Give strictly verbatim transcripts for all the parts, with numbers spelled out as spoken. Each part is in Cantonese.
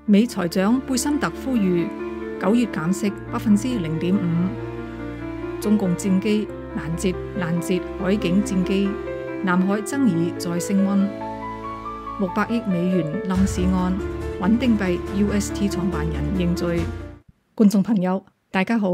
美財長貝森特呼籲九月減息百分之零點五。中共戰機攔截攔截海警戰機，南海爭議再升溫。六百億美元冧市案，穩定幣 U S T 創辦人認罪。觀眾朋友，大家好。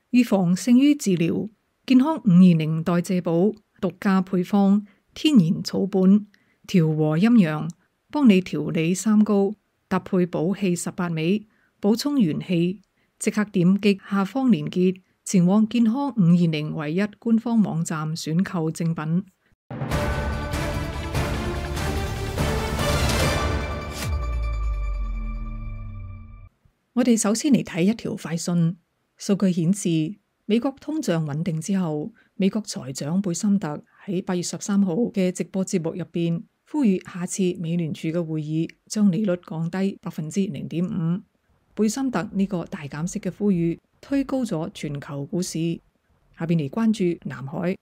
預防勝於治療，健康五二零代謝寶獨家配方，天然草本，調和陰陽，幫你調理三高，搭配補氣十八味，補充元氣。即刻點擊下方連結，前往健康五二零唯一官方網站選購正品。我哋首先嚟睇一條快訊，數據顯示美國通脹穩定之後，美國財長貝森特喺八月十三號嘅直播節目入邊，呼籲下次美聯儲嘅會議將利率降低百分之零點五。貝森特呢個大減息嘅呼籲推高咗全球股市。下邊嚟關注南海。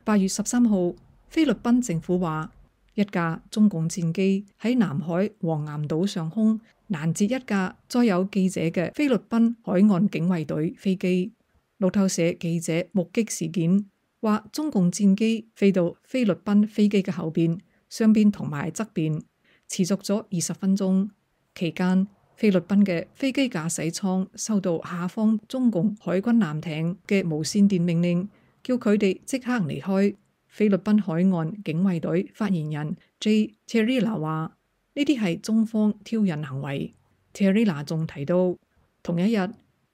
八月十三號，菲律賓政府話一架中共戰機喺南海黃岩島上空攔截一架載有記者嘅菲律賓海岸警衛隊飛機。路透社記者目擊事件，話中共戰機飛到菲律賓飛機嘅後邊、上邊同埋側邊，持續咗二十分鐘。期間，菲律賓嘅飛機駕駛艙收到下方中共海軍艦艇嘅無線電命令，叫佢哋即刻離開。菲律賓海岸警衛隊發言人 J. Terila 話：呢啲係中方挑釁行為。Terila 仲提到，同一日，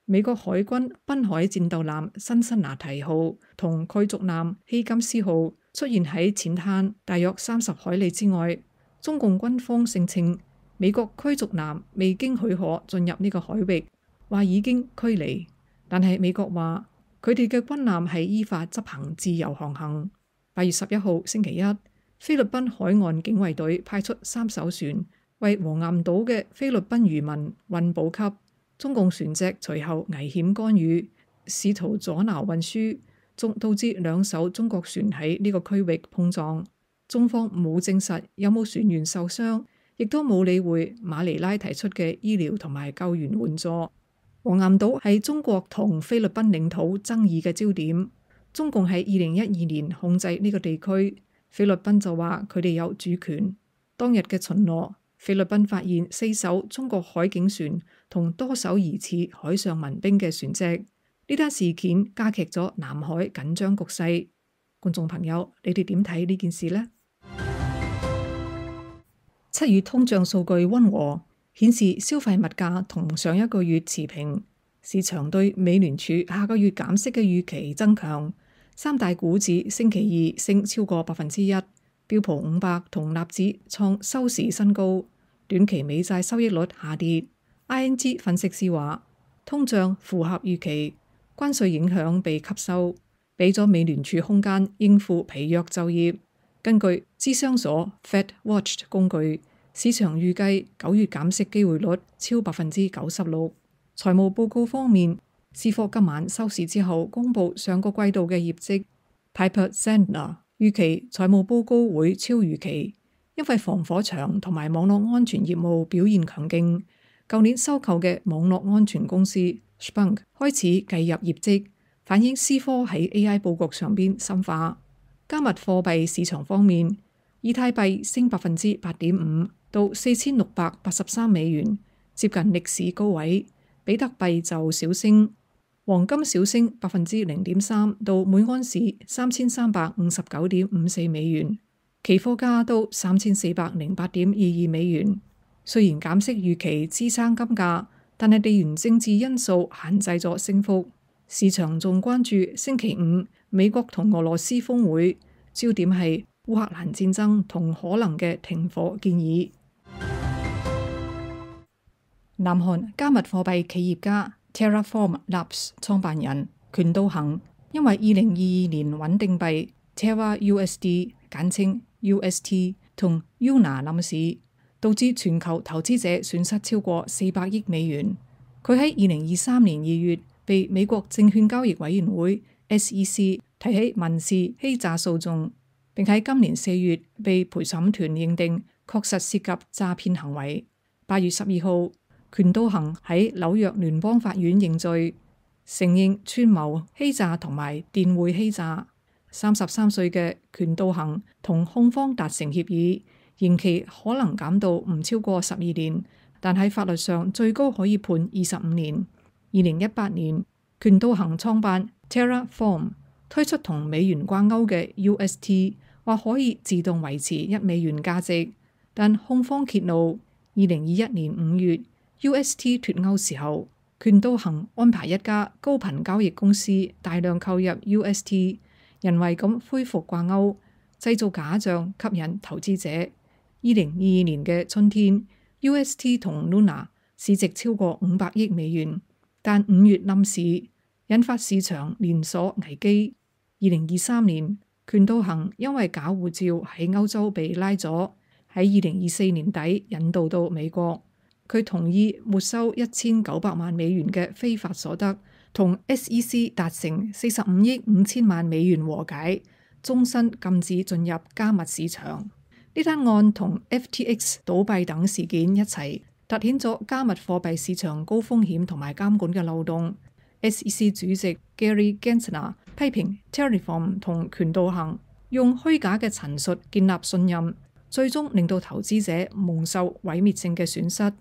美國海軍濱海戰鬥艦辛辛那提號同驅逐艦希金斯號出現喺淺灘大約三十海里之外。中共軍方聲稱，美國驅逐艦未經許可進入呢個海域，話已經驅離，但係美國話佢哋嘅軍艦係依法執行自由航行。八月十一號星期一，菲律賓海岸警衛隊派出三艘船為黃岩島嘅菲律賓漁民運補給，中共船隻隨後危險干預，試圖阻撓運輸，仲導致兩艘中國船喺呢個區域碰撞。中方冇證實有冇船員受傷，亦都冇理會馬尼拉提出嘅醫療同埋救援援助。黃岩島係中國同菲律賓領土爭議嘅焦點。中共喺二零一二年控制呢個地區，菲律賓就話佢哋有主權。當日嘅巡邏，菲律賓發現四艘中國海警船同多艘疑似海上民兵嘅船隻。呢單事件加劇咗南海緊張局勢。觀眾朋友，你哋點睇呢件事呢？七月通脹數據溫和，顯示消費物價同上一個月持平。市場對美聯儲下個月減息嘅預期增強，三大股指星期二升超過百分之一，標普五百同納指創收市新高。短期美債收益率下跌。I N G 分析師話，通脹符合預期，關稅影響被吸收，俾咗美聯儲空間應付疲弱就業。根據諮商所 FedWatch 工具，市場預計九月減息機會率超百分之九十六。財務報告方面，思科今晚收市之後公布上個季度嘅業績。Piper Sandler 預期財務報告會超預期，因為防火牆同埋網絡安全業務表現強勁。舊年收購嘅網絡安全公司 Splunk 開始計入業績，反映思科喺 A I 佈局上邊深化。加密貨幣市場方面，以太幣升百分之八點五到四千六百八十三美元，接近歷史高位。比特幣就小升，黃金小升百分之零點三到每盎司三千三百五十九點五四美元，期貨價到三千四百零八點二二美元。雖然減息預期支撐金價，但係地緣政治因素限制咗升幅。市場仲關注星期五美國同俄羅斯峰會，焦點係烏克蘭戰爭同可能嘅停火建議。南韓加密貨幣企業家 Terraform Labs 創辦人權道行，因為二零二二年穩定幣 Terra U S D 簡稱 U S T 同 U N A 冧市，導致全球投資者損失超過四百億美元。佢喺二零二三年二月被美國證券交易委員會 S E C 提起民事欺詐訴訟，並喺今年四月被陪審團認定確實涉及詐騙行為。八月十二號，權道行喺紐約聯邦法院認罪，承認串謀欺詐同埋電匯欺詐。三十三歲嘅權道行同控方達成協議，刑期可能減到唔超過十二年，但喺法律上最高可以判二十五年。二零一八年，權道行創辦 Terraform， 推出同美元掛鈎嘅 U S T， 話可以自動維持一美元價值，但控方揭露，二零二一年五月 U S T 脫鈎時候，權道行安排一家高頻交易公司大量購入 U S T， 人為咁恢復掛鈎，製造假象吸引投資者。二零二二年嘅春天 ，U S T 同 Luna 市值超過五百億美元，但五月冧市，引發市場連鎖危機。二零二三年，權道行因為假護照喺歐洲被拉咗，喺二零二四年底引渡到美國。佢同意沒收一千九百萬美元嘅非法所得，同 S E C 達成四十五億五千萬美元和解，終身禁止進入加密市場。呢單案同 F T X 倒閉等事件一齊，凸顯咗加密貨幣市場高風險同埋監管嘅漏洞。S E C 主席 Gary Gensler 批評 Terraform 同權道行用虛假嘅陳述建立信任，最終令到投資者蒙受毀滅性嘅損失。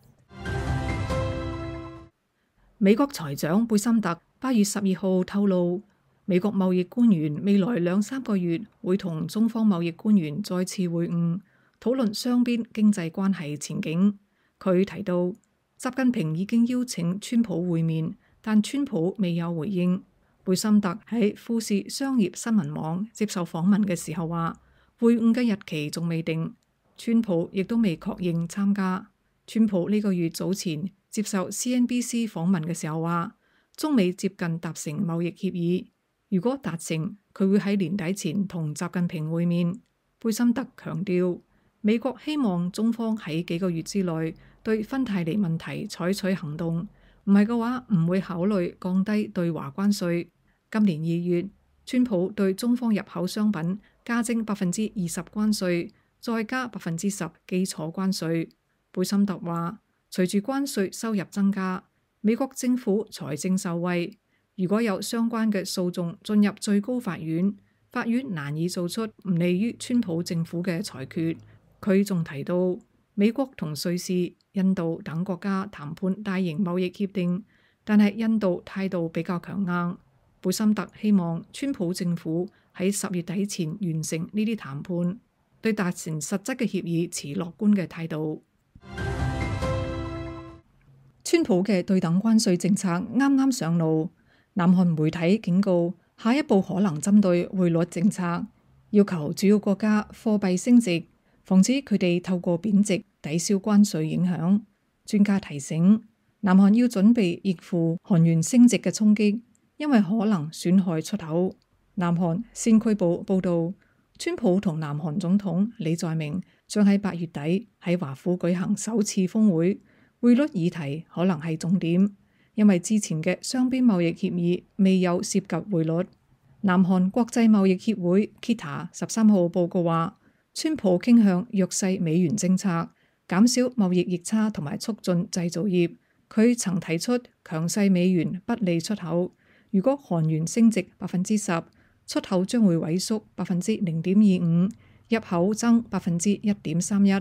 美國財長貝森特八月十二號透露，美國貿易官員未來兩三個月會同中方貿易官員再次會晤，討論雙邊經濟關係前景。佢提到，習近平已經邀請川普會面，但川普未有回應。貝森特喺富士商業新聞網接受訪問嘅時候話，會晤嘅日期仲未定，川普亦都未確認參加。川普呢個月早前接受 C N B C 訪問嘅時候話，中美接近達成貿易協議，如果達成，佢會喺年底前同習近平會面。貝森特強調，美國希望中方喺幾個月之內對芬太尼問題採取行動，唔係嘅話唔會考慮降低對華關稅。今年二月，川普對中方入口商品加徵百分之二十關稅，再加百分之十基礎關稅。貝森特話，隨住關稅收入增加，美國政府財政受惠。如果有相關嘅訴訟進入最高法院，法院難以做出唔利於川普政府嘅裁決。佢仲提到，美國同瑞士、印度等國家談判大型貿易協定，但係印度態度比較強硬。貝森特希望川普政府喺十月底前完成呢啲談判，對達成實質嘅協議持樂觀嘅態度。川普嘅對等關稅政策啱啱上路，南韓媒體警告，下一步可能針對匯率政策，要求主要國家貨幣升值，防止佢哋透過貶值抵消關稅影響。專家提醒，南韓要準備應付韓元升值嘅衝擊，因為可能損害出口。南韓先驅報報道，川普同南韓總統李在明將喺八月底喺華府舉行首次峰會。匯率議題可能係重點，因為之前嘅雙邊貿易協議未有涉及匯率。南韓國際貿易協會 K I T A 十三號報告話，川普傾向弱勢美元政策，減少貿易逆差同埋促進製造業。佢曾提出強勢美元不利出口，如果韓元升值百分之十，出口將會萎縮百分之零點二五，入口增百分之一點三一。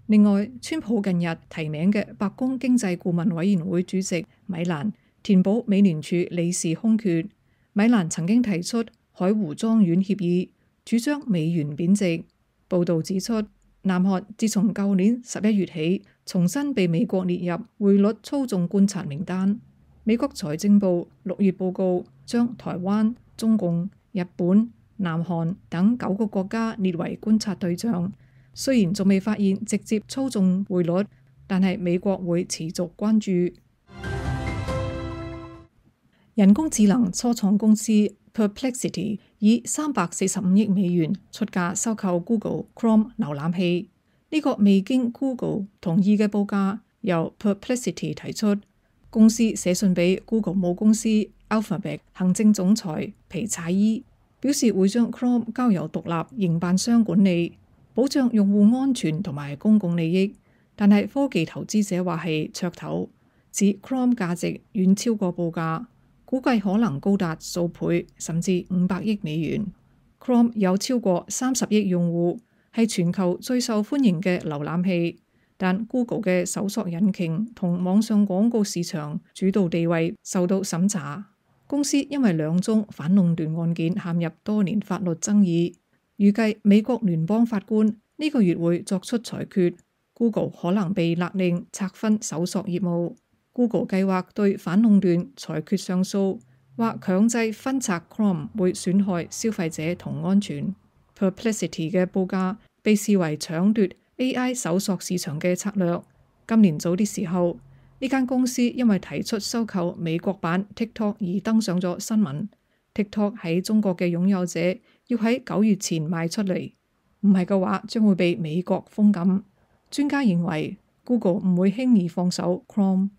另外，川普近日提名嘅白宮經濟顧問委員會主席米蘭填補美聯儲理事空缺。米蘭曾經提出海湖莊園協議，主張美元貶值。報導指出，南韓自從舊年十一月起，重新被美國列入匯率操縱觀察名單。美國財政部六月報告將台灣、中共、日本、南韓等九個國家列為觀察對象。雖然仲未發現直接操縱匯率，但係美國會持續關注。人工智能初創公司 Perplexity 以三百四十五億美元出價收購 Google Chrome 瀏覽器，呢、這個未經 Google 同意嘅報價由 Perplexity 提出。公司寫信俾 Google 母公司 Alphabet 行政總裁皮查伊，表示會將 Chrome 交由獨立營辦商管理。保障用戶安全同埋公共利益。但係科技投資者話係噱頭，指 Chrome 價值遠超過報價，估計可能高達數倍甚至五百億美元。Chrome 有超過三十億用戶，係全球最受歡迎嘅瀏覽器。但 Google 嘅搜索引擎同網上廣告市場主導地位受到審查。公司因為兩宗反壟斷案件陷入多年法律爭議，預計美國聯邦法官呢個月會作出裁決。Google 可能被勒令拆分搜索業務。Google 計劃對反壟斷裁決上訴，或強制分拆 Chrome 會損害消費者同安全。Perplexity 嘅報價被視為搶奪 A I 搜索市場嘅策略。今年早啲時候，呢間公司因為提出收購美國版 TikTok 而登上咗新聞。TikTok 喺中國嘅擁有者要喺九月前賣出嚟，唔係嘅話將會被美國封禁。專家認為 Google 唔會輕易放手 Chrome。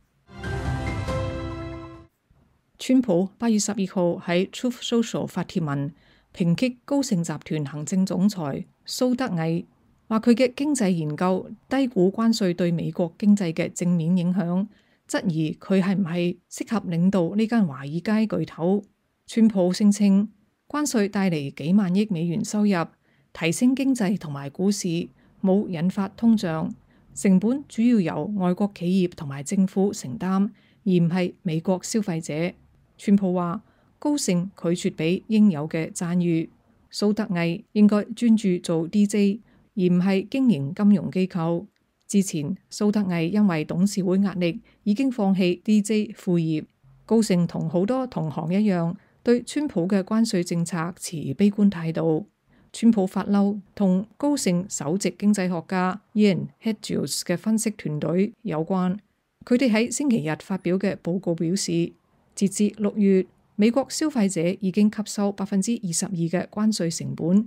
川普八月十二號喺 Truth Social 發帖文，抨擊高盛集團行政總裁蘇德毅，話佢嘅經濟研究低估關稅對美國經濟嘅正面影響，質疑佢係唔係適合領導呢間華爾街巨頭。川普聲稱關稅帶嚟幾萬億美元收入，提升經濟同埋股市，冇引發通脹，成本主要由外國企業同埋政府承擔，而唔係美國消費者。川普話高盛拒絕俾應有嘅讚譽，蘇德毅應該專注做 D J， 而唔係經營金融機構。之前蘇德毅因為董事會壓力已經放棄 D J 副業。高盛同好多同行一樣，對川普嘅關稅政策持悲觀態度。川普發嬲同高盛首席經濟學家 Ian Hedges 嘅分析團隊有關。佢哋喺星期日發表嘅報告表示，截至六月，美國消費者已經吸收百分之二十二嘅關稅成本。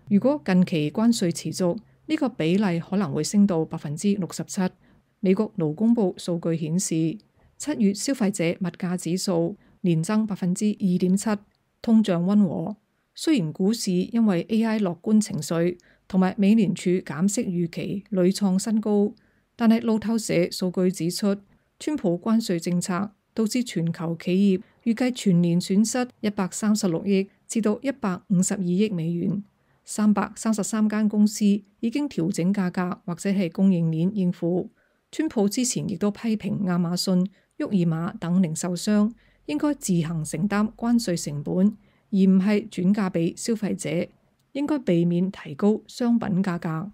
如果近期關稅持續，呢個比例可能會升到百分之六十七。美國勞工部數據顯示，七月消費者物價指數年增百分之二點七，通脹溫和。雖然股市因為 A I 樂觀情緒同埋美聯儲減息預期屢創新高，但係路透社數據指出，川普關稅政策導致全球企業預計全年損失一百三十六億至到一百五十二億美元。三百三十三間公司已經調整價格或者係供應鏈應付。川普之前亦都批評亞馬遜、沃爾瑪等零售商應該自行承擔關稅成本，而唔係轉嫁俾消費者，應該避免提高商品價格。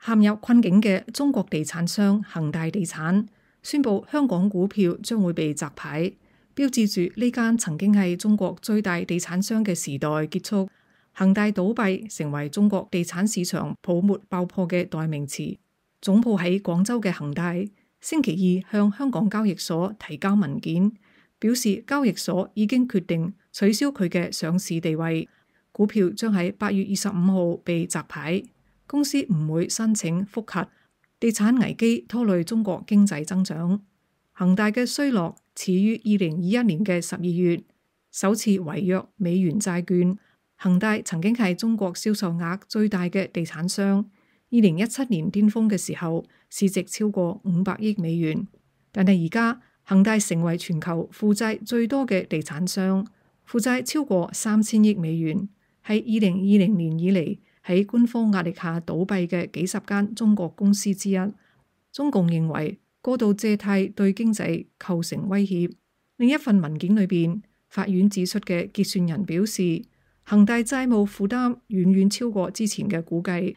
陷入困境嘅中國地產商恒大地產宣布香港股票將會被摘牌，標誌住呢間曾經係中國最大地產商嘅時代結束。恒大倒閉成為中國地產市場泡沫爆破嘅代名詞。總部喺廣州嘅恒大星期二向香港交易所提交文件，表示交易所已經決定取消佢嘅上市地位，股票將喺八月二十五號被摘牌。公司唔會申請覆核。地產危機拖累中國經濟增長。恒大嘅衰落始於二零二一年嘅十二月，首次違約美元債券。恒大曾經係中國銷售額最大嘅地產商，二零一七年巔峰嘅時候市值超過五百億美元。但係而家恒大成為全球負債最多嘅地產商，負債超過三千億美元，係二零二零年以嚟喺官方壓力下倒閉嘅幾十間中國公司之一。中共認為過度借貸對經濟構成威脅。另一份文件裏邊，法院指出嘅結算人表示，恒大債務負擔遠遠超過之前嘅估計，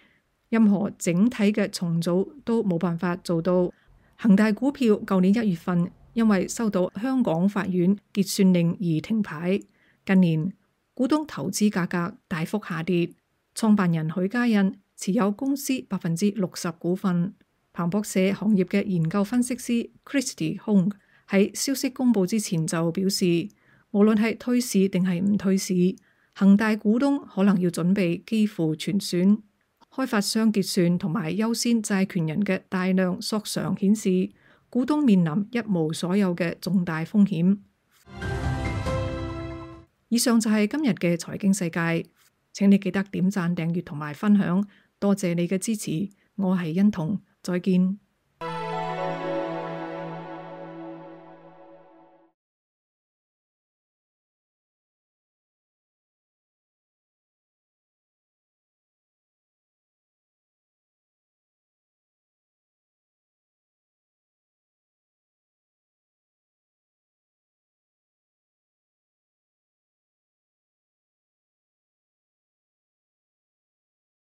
任何整體嘅重組都冇辦法做到。恒大股票舊年一月份因為收到香港法院結算令而停牌，近年股東投資價格大幅下跌。創辦人許家印持有公司百分之六十股份。彭博社行業嘅研究分析師 Christy Hong 喺消息公布之前就表示，無論係退市定係唔退市，恒大股東可能要準備幾乎全損。開發商結算同埋優先債權人嘅大量索償顯示，股東面臨一無所有嘅重大風險。以上就係今日嘅財經世界。請你記得點讚、訂閱同埋分享，多謝你嘅支持。我係欣彤，再見。